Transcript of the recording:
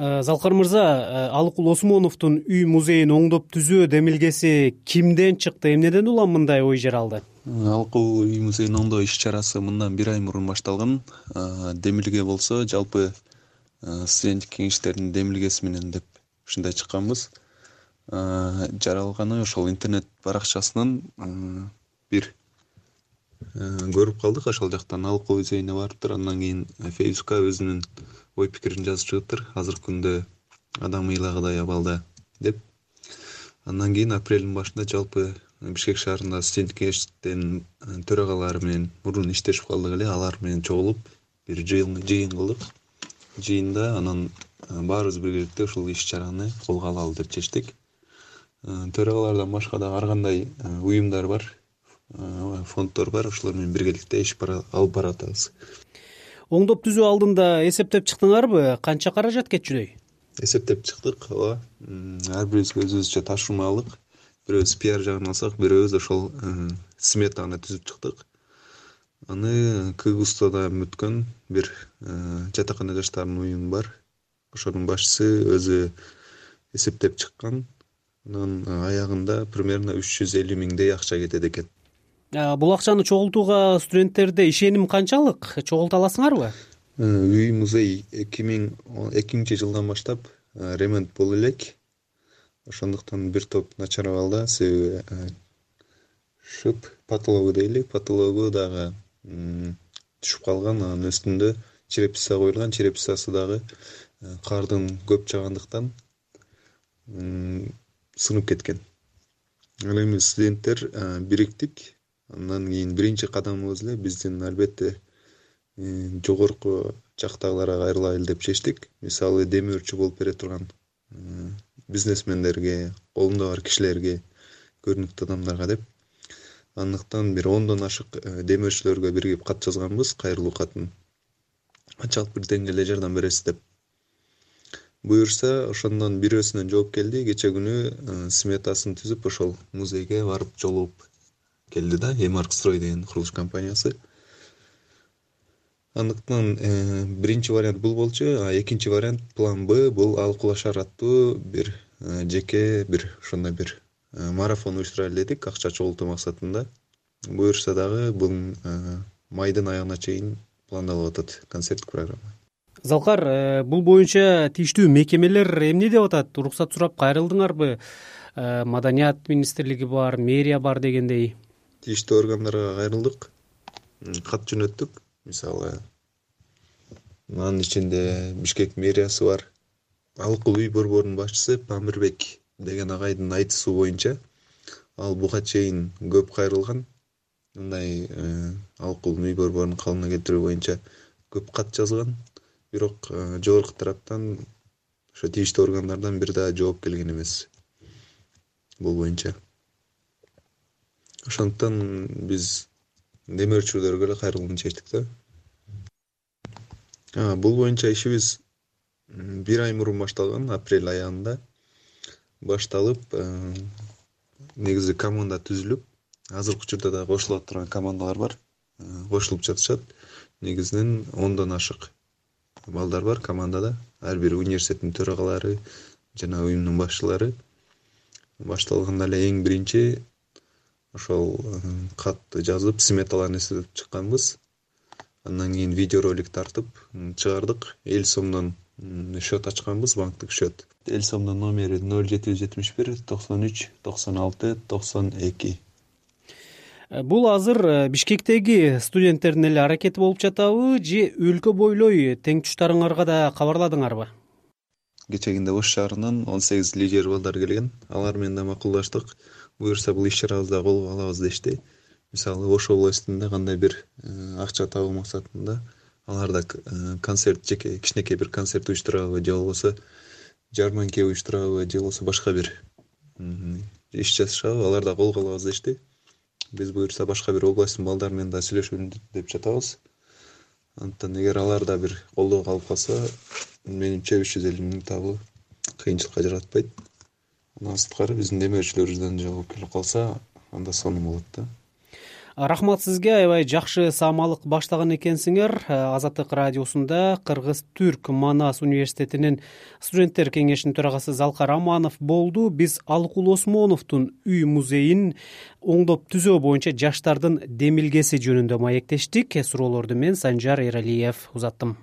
Залкар мырза, Алыкул Осмоновдун үй музейин оңдоп түзөө демилгеси кимден чыкты, эмнеден улам мындай ой жаралды? Алыкул үй музейин оңдоо иш-чарасы мындан 1 ай мурун башталган. Демилге болсо жалпы студенттик кеңештердин демилгеси менен деп ушундай чыкканбыз. Жаралганы ошол интернет баракчасынан бир көрүп калдык. Ошол жактан Алыкул музейине барыптыр. Андан кийин Фейсбукка өзүнүн ой пикирин жазып чыгыптыр. Азыркы күндө адам ыйлагыдай абалда деп. Андан кийин апрелдин башында жалпы Бишкек шаарында студенттик кеңештин төрагалары менен мурун иштешип калдык эле. Алар менен чогулуп бир жыйын кылдык. Жыйында анан баарыбыз биргеликте ушул иш-чараны колго алалы деп чечтик. Төрагалардан башка дагы ар кандай уюмдар бар, фонддор бар. Ошолор менен биргеликте иш алып баратабыз. Оңдоп түзүү алдында эсептеп чыктыңарбы? Канча каражат кетчүдөй? Эсептеп чыктык, ооба. Ар бирибизге өзүбүзчө ташуумалык. Бирөөбүз пиар жагын алсак, бирөөбүз ошол сметаны түзүп чыктык. Аны Кыгыстада бүткөн бир жатакана жаштардын уюму бар. Ошонун башчысы өзү эсептеп чыккан. Анын аягында примерно 350 миңдей акча кетет экен. Бул акчаны чогултууга студенттерде ишеним канчалык? Чогулта аласыңарбы? Үй музей 2002 жылдан баштап ремонт боло элек. Ошондуктан бир топ начар абалда, себеби шып потологу дейли, потологу дагы түшүп калган. Анын үстүндө черепица коюлган, черепицасы дагы кардын көп жаагандыктан сынып кеткен. Ал эми студенттер бириктик. Андан кийин биринчи кадамыбыз эле биздин албетте жогорку жактагыларга кайрылайлы деп чечтик. Мисалы демөөрчү болуп бере турган бизнесмендерге, колунда бар кишилерге, көрүнүктүү адамдарга деп. Андыктан бир 10дон ашык демөөрчүлөргө биригип кат жазганбыз, кайрылуу катын. Канчалык бир деңгээлде жардам бересиз деп. Буюрса, ошондон бирөөсүнөн жооп келди. Кече күнү сметасын түзүп, ошол музейге барып жолугуп келди да, Эмаркстрой деген курулуш компаниясы. Андыктан биринчи вариант бул болчу, экинчи вариант план Б бул Алыкул шаар аттуу бир жеке бир ошондой бир марафон уюштурайлы дедик, акча чогултуу максатында. Буюрса дагы бул майдын аягына чейин пландалып атат концерттик программа. Залкар, бул боюнча тийиштүү мекемелер эмне деп атат? Уруксат сурап кайрылдыңарбы? Маданият министрлиги бар, мэрия бар дегендей. Тийиштүү органдарга кайрылдык. Кат жөнөттүк. Мисалы, анын ичинде Бишкек мэриясы бар. Алыкул үй борборунун башчысы Памирбек деген агайдын айтуусу боюнча, ал буга чейин көп кайрылган. Мындай Алыкул үй борборунун калыбына келтирүү боюнча көп кат жазган. Бирок жогорку тараптан ошо тийиштүү органдардан бир да жооп келген эмес бул боюнча. Ошондуктан биз демөөрчүлөргө эле кайрылууну чечтик да. Бул боюнча ишибиз 1 ай мурун башталган, апрель аягында башталып, негизи команда түзүлүп, азыркы учурда да кошулуп турган командалар бар, кошулуп жатышат. Негизинен 10дон ашык балдар бар командада, ар бир университеттин төрагалары жана уюмдун башчылары. Башталганда эле эң биринчи ошол катты жазып, сметаларын эсептеп чыкканбыз. Андан кийин видеоролик тартып чыгардык. Эл сомдон счет ачканбыз, банктык счет. Эл сомдун номери 0771 93 96 92. Бул азыр Бишкектеги студенттердин эле аракети болуп жатабы же өлкө бойлой тең туштарыңарга да кабарладыңарбы? Кечегинде Ош шаарынан 18 лидер балдар келген. Алар менен да макулдаштык. Буюрса бул иш-чарабызды колго алабыз дешти. Мисалы, Ош областында кандай бир акча табуу максатында алар да концерт, жеке кичинекей бир концерт уюштурабы, же болбосо жарманке уюштурабы, же болбосо башка бир иш жасашабы, алар да колго алабыз дешти. Биз буюрса башка бир областтын балдары менен да сүйлөшүп деп жатабыз. Антан эгер алар да бир колдоо калып калса, менимче 350 миң табуу кыйынчылыкка жаратпайт. Андан сырткары биздин демөөрчүлөрүбүздөн жооп келип калса, анда сонун болот да. Рахмат сизге, аябай жакшы саамалык баштаган экенсиңер. Азаттык радиосунда Кыргыз-Түрк Манас университетинин студенттер кеңешинин төрагасы Залкар Аманов болду. Биз Алыкул Осмоновдун үй музейин оңдоп түзөө боюнча жаштардын демилгеси жөнүндө маектештик. Суроолорду мен Санжар Эралиев узаттым.